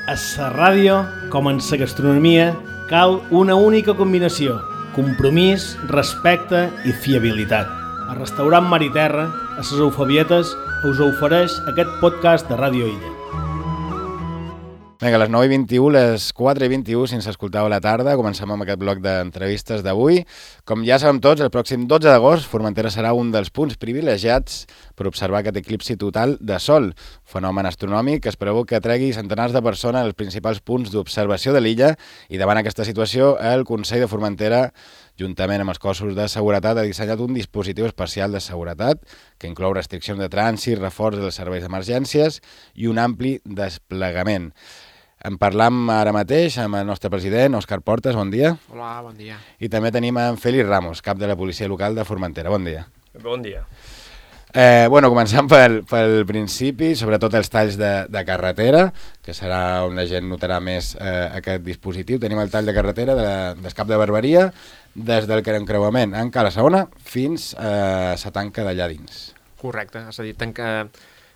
A la ràdio, com en la gastronomia, cal una única combinació: compromís, respecte i fiabilitat. A Restaurant Mar i Terra, a les Eufabietes, us ofereix aquest podcast de Ràdio Illa. Vinga, a les 9:21, les 4:21, si ens escoltau a la tarda, comencem amb aquest bloc d'entrevistes d'avui. Com ja sabem tots, el pròxim 12 d'agost, Formentera serà un dels punts privilegiats per observar aquest eclipsi total de sol, fenomen astronòmic que es preveu que tregui centenars de persones als principals punts d'observació de l'illa, i davant aquesta situació, el Consell de Formentera, juntament amb els cossos de seguretat, ha dissenyat un dispositiu especial de seguretat que inclou restriccions de trànsit, reforç dels serveis d'emergències i un ampli desplegament. En parlam ara mateix amb el nostre president, Òscar Portes, bon dia. Hola, bon dia. I també tenim en Félix Ramos, cap de la policia local de Formentera. Bon dia. Bon dia. Començant pel principi, sobretot els talls de carretera, que serà on la gent notarà més aquest dispositiu. Tenim el tall de carretera del Cap de Barberia, des del encreuament en Cala Saona fins a la tanca d'allà dins. Correcte, és a dir,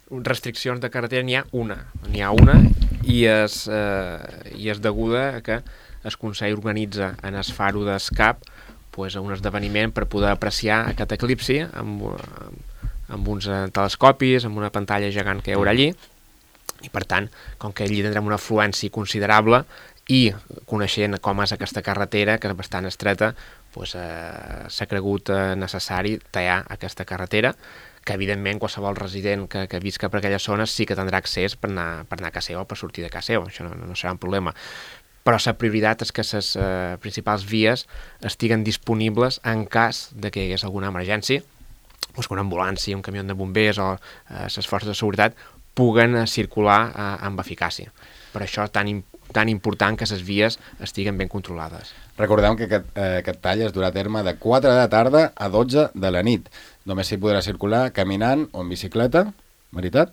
restriccions de carretera n'hi ha una i és deguda a que el Consell organitza en el Faro d'Escap un esdeveniment per poder apreciar aquest eclipsi amb uns telescopis, amb una pantalla gegant que hi haurà allí, i per tant, com que allí tindrem una afluència considerable i coneixent com és aquesta carretera, que és bastant estreta, s'ha cregut necessari tallar aquesta carretera, que evidentment qualsevol resident que visca per aquella zona sí que tindrà accés per anar a casa seva o per sortir de casa seva, això no serà un problema. Però la prioritat és que les principals vies estiguen disponibles en cas de que hi hagués alguna emergència, que una ambulància, un camió de bombers o les forces de seguretat puguen circular amb eficàcia. Per això és tan important que les vies estiguen ben controlades. Recordem que aquest tall es durà a terme de 4 de la tarda a 12 de la nit. Només s'hi podrà circular caminant o en bicicleta, veritat?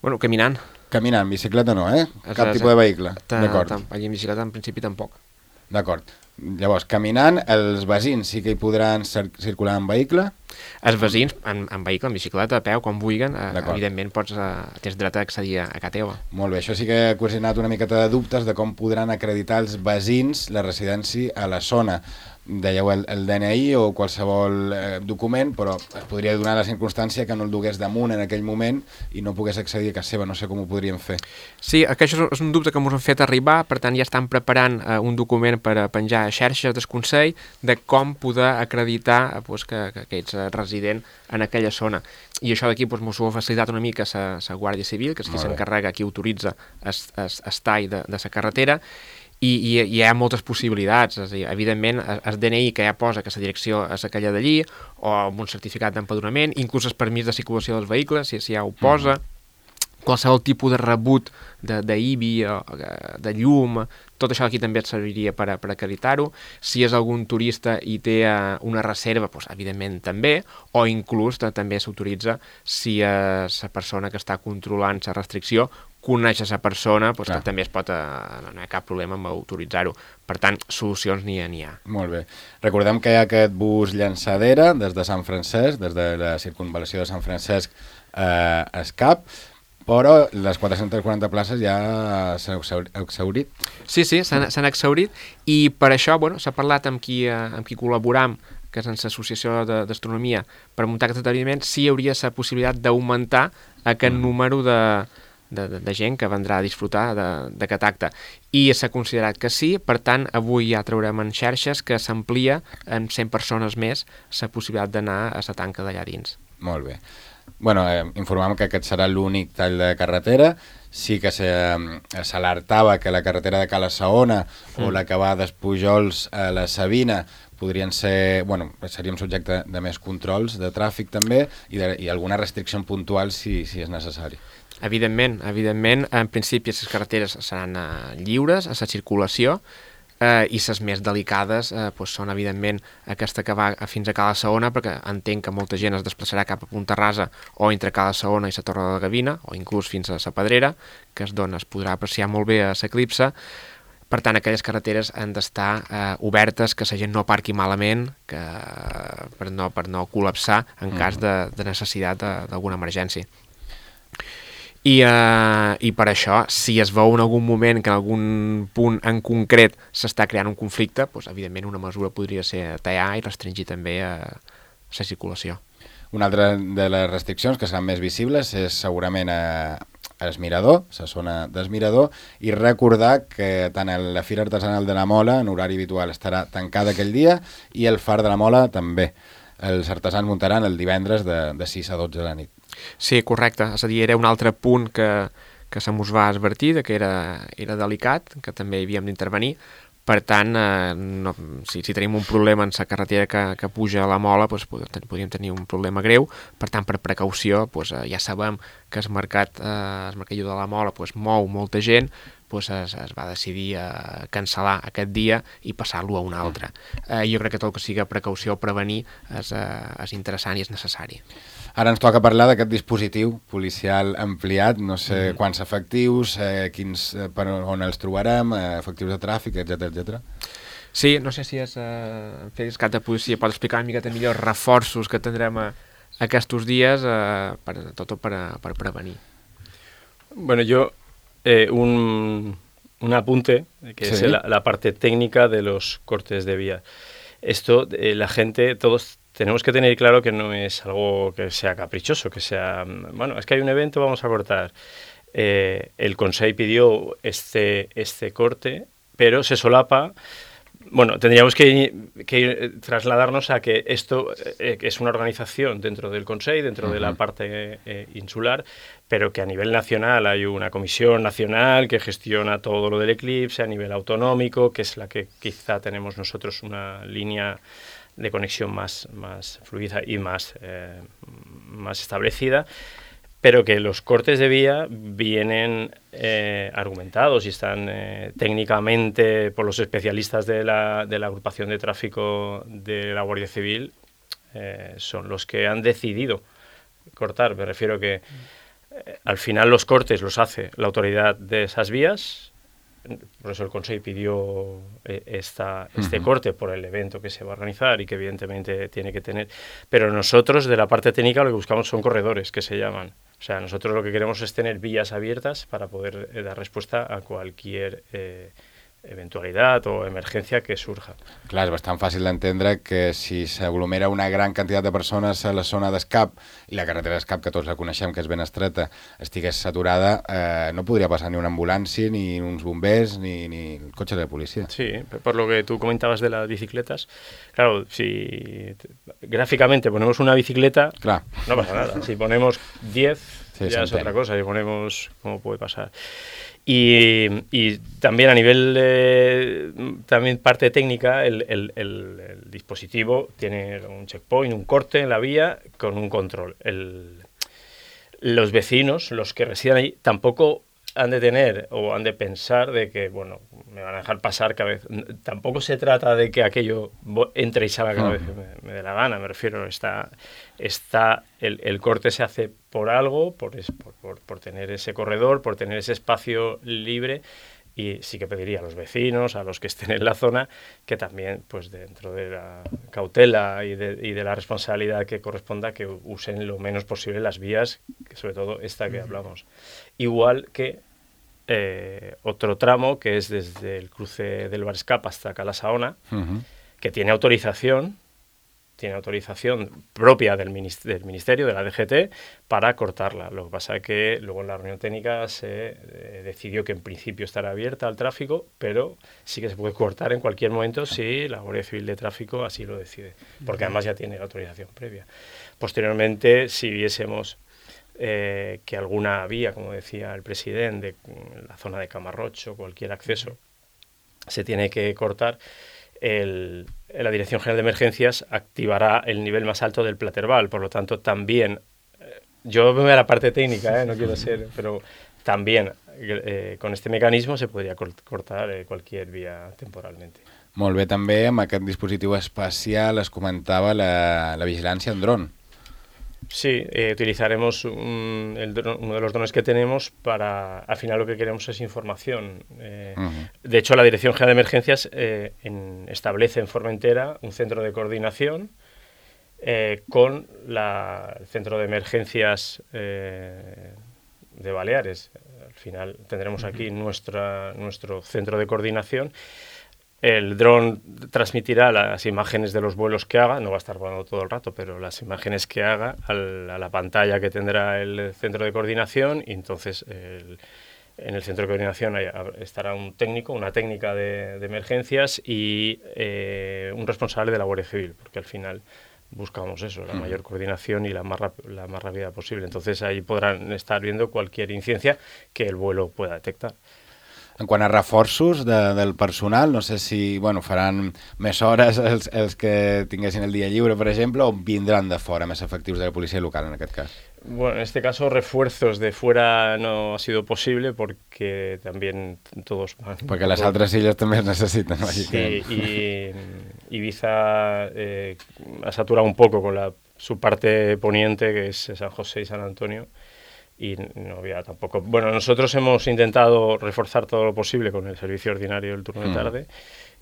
Bueno, caminant. Caminant, bicicleta no, Cap tipus de vehicle. D'acord. Allí en bicicleta en principi tampoc. D'acord. Llavors, caminant, els veïns sí que hi podran circular en vehicle? Els veïns en vehicle, en bicicleta, a peu, com vulguin, evidentment tens dret a accedir a casa teva. Molt bé, això sí que ha ocasionat una miqueta de dubtes de com podran acreditar els veïns la residència a la zona. Dèieu el DNI o qualsevol document, però es podria donar la circumstància que no el dugués damunt en aquell moment i no pogués accedir a casa seva, no sé com ho podríem fer. Sí, això és un dubte que ens han fet arribar, per tant ja estan preparant un document per penjar a xarxes del Consell de com poder acreditar que ets resident en aquella zona. I això d'aquí ens ho ha facilitat una mica la Guàrdia Civil, que és qui s'encarrega, qui autoritza el tall de la carretera, i hi ha moltes possibilitats. És a dir, evidentment, el DNI que ja posa que la direcció és aquella d'allí, o amb un certificat d'empadronament, inclús el permís de circulació dels vehicles, si ja ho posa, qualsevol tipus de rebut d'IBI, de llum, tot això aquí també et serviria per acreditar-ho. Si és algun turista i té una reserva, evidentment també, o inclús també s'autoritza si la persona que està controlant la restricció coneix a la persona, que també no hi ha cap problema amb autoritzar-ho. Per tant, solucions n'hi ha. Molt bé. Recordem que hi ha aquest bus llançadera des de Sant Francesc, des de la circunvalació de Sant Francesc a Escap, però les 440 places ja s'han exhaurit. Sí, s'han exhaurit, i per això s'ha parlat amb qui col·laboram, que és en l'Associació d'Astronomia, per muntar aquest esdeveniment, si hi hauria la possibilitat d'augmentar aquest número de gent que vendrà a disfrutar d'aquest acte. I s'ha considerat que sí, per tant, avui ja traurem en xarxes que s'amplia en 100 persones més la possibilitat d'anar a la tanca d'allà dins. Molt bé. Informàvem que aquest serà l'únic tall de carretera. Sí que s'alertava que la carretera de Cala Saona o la que va d'Espujols a la Sabina podrien ser, seríem subjecte de més controls de tràfic també i alguna restricció puntual si és necessari. Evidentment, en principi les carreteres seran lliures a la circulació, i les més delicades són evidentment aquesta que va fins a Cala Saona, perquè entenc que molta gent es desplaçarà cap a Punta Rasa o entre Cala Saona i la Torre de la Gavina, o inclús fins a la Pedrera, que es podrà apreciar molt bé a l'eclipse. Per tant, aquelles carreteres han d'estar obertes, que la gent no aparqui malament, per no col·lapsar en cas de necessitat d'alguna emergència. I per això, si es veu en algun moment que en algun punt en concret s'està creant un conflicte, doncs, evidentment una mesura podria ser tallar i restringir també la circulació. Una altra de les restriccions que seran més visibles és segurament el Mirador, la zona del Mirador, i recordar que tant la Fira Artesanal de la Mola en horari habitual estarà tancada aquell dia i el Far de la Mola també. Els artesans muntaran el divendres de 6 a 12 de la nit. Sí, correcte. És a dir, era un altre punt que se mos va advertir, que era delicat, que també hi havíem d'intervenir. Per tant, si tenim un problema en la carretera que puja a la Mola, doncs podríem tenir un problema greu. Per tant, per precaució, doncs, ja sabem que el mercadillo de la Mola mou molta gent, doncs es va decidir cancel·lar aquest dia i passar-lo a un altre. Jo crec que tot el que sigui precaució o prevenir és interessant i és necessari. Ara ens toca parlar d'aquest dispositiu policial ampliat, no sé quants efectius, per on els trobarem, efectius de tràfic, etc. Sí, no sé si Félix, cap de policia, pot explicar una miqueta millor els reforços que tindrem aquests dies per prevenir. Bueno, yo un apunte, que es la parte técnica de los cortes de vía. Esto, la gente, todos tenemos que tener claro que no es algo que sea caprichoso, que sea, bueno, es que hay un evento, vamos a cortar. El Consell pidió este corte, pero se solapa. Bueno, tendríamos que trasladarnos a que esto es una organización dentro del Consell, dentro de la parte insular, pero que a nivel nacional hay una comisión nacional que gestiona todo lo del eclipse a nivel autonómico, que es la que quizá tenemos nosotros una línea de conexión más fluida y más establecida, pero que los cortes de vía vienen argumentados y están técnicamente por los especialistas de la agrupación de tráfico de la Guardia Civil, son los que han decidido cortar. Me refiero que al final los cortes los hace la autoridad de esas vías. Por eso el Consell pidió este corte por el evento que se va a organizar y que evidentemente tiene que tener. Pero nosotros, de la parte técnica, lo que buscamos son corredores, que se llaman. O sea, nosotros lo que queremos es tener vías abiertas para poder dar respuesta a cualquier eventualidad o emergencia que surja. Clar, és bastant fàcil d'entendre que si s'aglomera una gran quantitat de persones a la zona d'escap i la carretera d'escap, que tots la coneixem, que és ben estreta, estigués saturada, no podria passar ni una ambulància, ni uns bombers, ni el cotxe de la policia. Sí, por lo que tú comentabas de las bicicletas, claro, si gráficamente ponemos una bicicleta, Clar. No pasa nada. Si ponemos 10, sí, ya es otra cosa. Si ponemos, ¿cómo puede pasar? Y también a nivel también parte técnica, el dispositivo tiene un checkpoint, un corte en la vía con un control. Los vecinos, los que residen ahí, tampoco han de tener o han de pensar de que, bueno, me van a dejar pasar cada vez. Tampoco se trata de que aquello entre y salga cada vez que me dé la gana. Me refiero, el corte se hace por algo, por tener ese corredor, por tener ese espacio libre, y sí que pediría a los vecinos, a los que estén en la zona, que también, pues dentro de la cautela y de la responsabilidad que corresponda, que usen lo menos posible las vías, que sobre todo esta que hablamos. Igual que otro tramo, que es desde el cruce del Barescap hasta Cala Saona, que tiene autorización propia del Ministerio, de la DGT, para cortarla. Lo que pasa es que luego en la reunión técnica se decidió que en principio estará abierta al tráfico, pero sí que se puede cortar en cualquier momento si la Guardia Civil de Tráfico así lo decide, porque además ya tiene la autorización previa. Posteriormente, si viésemos que alguna vía, como decía el presidente, en la zona de Camarrocho, cualquier acceso, se tiene que cortar, la Dirección General de Emergencias activará el nivel más alto del Platerval. Por lo tanto, también, yo me voy a la parte técnica, no quiero ser, pero también con este mecanismo se podría cortar cualquier vía temporalmente. Molt bé, també amb aquest dispositiu espacial es comentava la vigilància en dron. Sí, utilizaremos uno de los drones que tenemos para, al final lo que queremos es información. De hecho, la Dirección General de Emergencias establece en Formentera un centro de coordinación con el Centro de Emergencias de Baleares. Al final tendremos aquí nuestro centro de coordinación. El dron transmitirá las imágenes de los vuelos que haga, no va a estar volando todo el rato, pero las imágenes que haga a la pantalla que tendrá el centro de coordinación, y entonces en el centro de coordinación estará un técnico, una técnica de emergencias y un responsable de la Guardia Civil, porque al final buscamos eso, la mayor coordinación y la más rápida posible. Entonces ahí podrán estar viendo cualquier incidencia que el vuelo pueda detectar. En quant a reforços del personal, no sé si faran més hores els que tinguessin el dia lliure, per exemple, o vindran de fora més efectius de la policia local, en aquest cas? Bueno, en este caso refuerzos de fuera no ha sido posible porque también todos van... Porque las otras illes también necesitan. Sí, y Ibiza ha saturado un poco con su parte poniente, que es San José y San Antonio, y no había tampoco... Bueno, nosotros hemos intentado reforzar todo lo posible con el servicio ordinario del turno de tarde,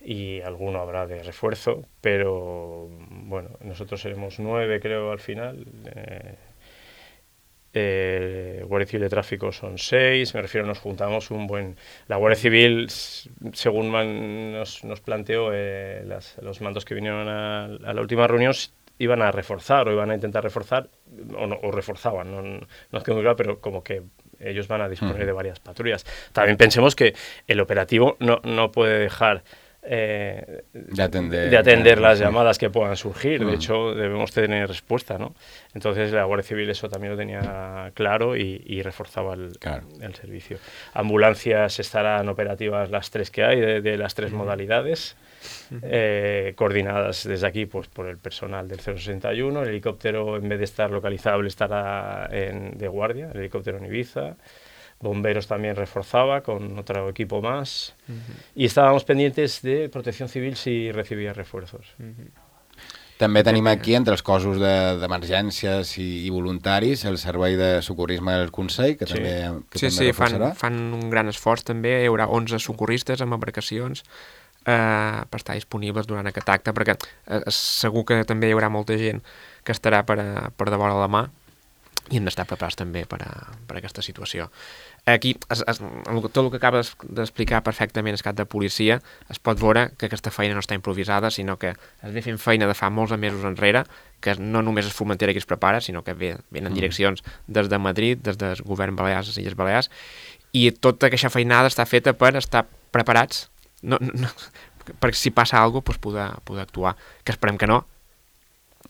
y alguno habrá de refuerzo, pero bueno, nosotros seremos 9, creo, al final. Guardia Civil de Tráfico son 6, me refiero, nos juntamos la Guardia Civil, según nos planteó los mandos que vinieron a la última reunión, iban a reforzar o iban a intentar reforzar, o reforzaban, no es que muy claro, pero como que ellos van a disponer de varias patrullas. También pensemos que el operativo no puede dejar de atender las llamadas que puedan surgir. De hecho, debemos tener respuesta, ¿no? Entonces la Guardia Civil eso también lo tenía claro y reforzaba el servicio. Ambulancias estarán operativas las 3 que hay, de las 3 modalidades, coordinadas desde aquí pues por el personal del 061. El helicóptero, en vez de estar localizable, estará de guardia, el helicóptero en Ibiza. Bomberos también reforzaba con otro equipo más, y estábamos pendientes de Protección Civil si recibia refuerzos. També tenim aquí, entre els cossos d'emergències i voluntaris, el servei de socorrisme del Consell, que també reforçarà. Fan un gran esforç també. Hi haurà 11 socorristes amb embarcacions per estar disponibles durant aquest acte, perquè segur que també hi haurà molta gent que estarà per devora la mà, i hem d'estar preparats també per aquesta situació. Aquí, tot el que acabes d'explicar perfectament el cap de policia, es pot veure que aquesta feina no està improvisada, sinó que es ve fent feina de fa molts mesos enrere, que no només és Formentera qui es prepara, sinó que venen direccions des de Madrid, des del govern balear, les Illes Balears, i tota aquesta feinada està feta per estar preparats, perquè si passa alguna cosa poder actuar, que esperem que no,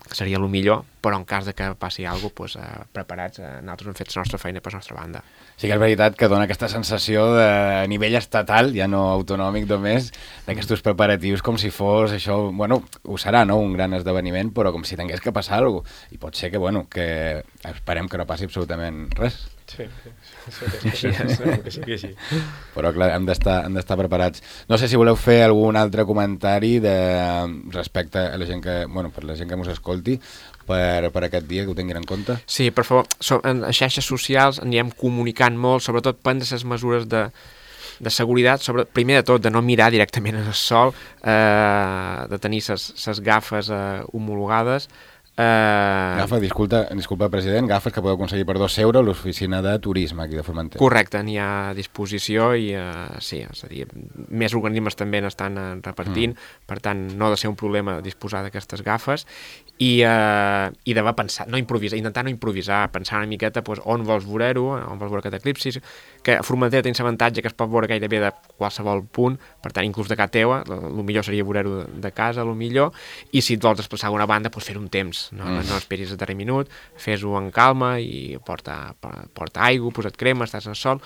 que seria el millor, però en cas de que passi alguna cosa, preparats, nosaltres hem fet la nostra feina per la nostra banda. Sí que és veritat que dona aquesta sensació de nivell estatal, ja no autonòmic només, d'aquests preparatius com si fos això, ho serà, no?, un gran esdeveniment, però com si tingués que passar alguna cosa. I pot ser que esperem que no passi absolutament res. Sí, que sí. Però clar, hem d'estar preparats. No sé si voleu fer algun altre comentari respecte a la gent que, per la gent que ens escolti, per aquest dia, que ho tinguin en compte. Sí, per favor, en les xarxes socials anirem comunicant molt, sobretot prendre les mesures de seguretat, primer de tot de no mirar directament al sol, de tenir les gafes homologades. Disculpa, president, gafes que podeu aconseguir per 2 euros a l'oficina de turisme aquí de Formentera. Correcte, n'hi ha a disposició i sí, és a dir, més organismes també n'estan repartint, per tant no ha de ser un problema disposar d'aquestes gafes i d'haver pensat, intentar no improvisar, pensar una miqueta on vols veure-ho, on vols veure aquest eclipsi, que a Formentera tens l'avantatge que es pot veure gairebé de qualsevol punt, per tant inclús de casa teva, el millor seria veure-ho de casa, el millor, i si et vols desplaçar a una banda, fer-ho un temps. No esperis a darrer minut, fes-ho en calma i porta aigua, posa't crema, estàs al sol,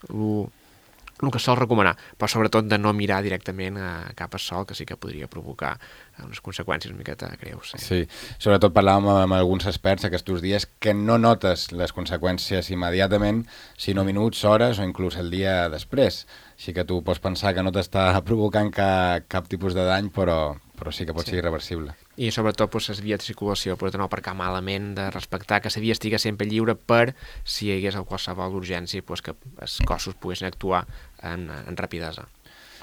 el que sol recomanar, però sobretot de no mirar directament cap al sol, que sí que podria provocar unes conseqüències una miqueta greus. Sí, sobretot parlàvem amb alguns experts aquests dies que no notes les conseqüències immediatament, sinó minuts, hores o inclús el dia després. Així que tu pots pensar que no t'està provocant cap tipus de dany, però sí que pot ser irreversible. I sobretot les vies de circulació, per no aparcar malament, de respectar que la via estigui sempre lliure per si hi hagués qualsevol urgència que els cossos poguessin actuar en rapidesa.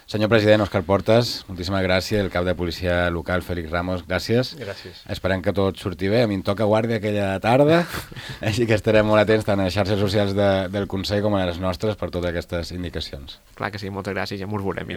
Senyor president Òscar Portas, moltíssimes gràcies. El cap de policia local, Félix Ramos, gràcies. Gràcies. Esperem que tot surti bé. A mi em toca guàrdia aquella tarda, així que estarem molt atents tant a les xarxes socials del Consell com a les nostres per totes aquestes indicacions. Clar que sí, moltes gràcies, ja m'ho veurem.